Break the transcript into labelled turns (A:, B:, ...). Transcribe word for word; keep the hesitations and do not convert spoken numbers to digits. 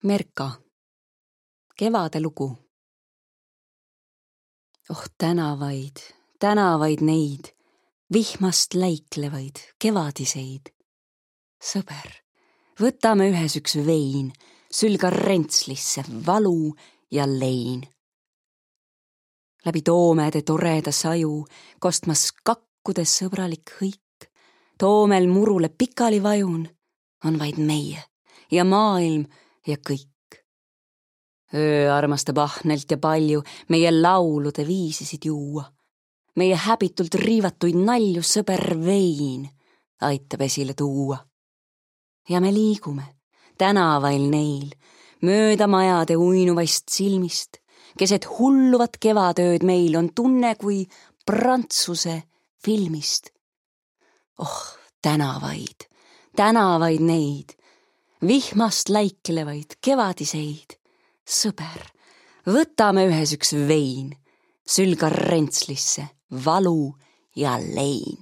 A: Merka, kevade lugu. Oh tänavaid, tänavaid neid, vihmast läiklevaid, kevadiseid. Sõber, võtame ühes üks vein, sülga rentslisse, valu ja lein. Läbi toomede toreda saju, kostmas kakkudes sõbralik hõik, toomel murule pikali vajun, on vaid meie ja maailm ja kõik. Öö armastab ahnelt ja palju meie laulude viisisid juua. Meie häbitult riivatuid nalju sõber vein aitab esile tuua. Ja me liigume tänavail neil, mööda majade uinuvaist silmist, keset hulluvat kevadööd meil on tunne kui Prantsuse filmist. Oh, tänavaid, tänavaid neid, vihmast läiklevaid, kevadiseid. Sõber, võtame ühes üks vein, sülga rentslisse, valu ja lein.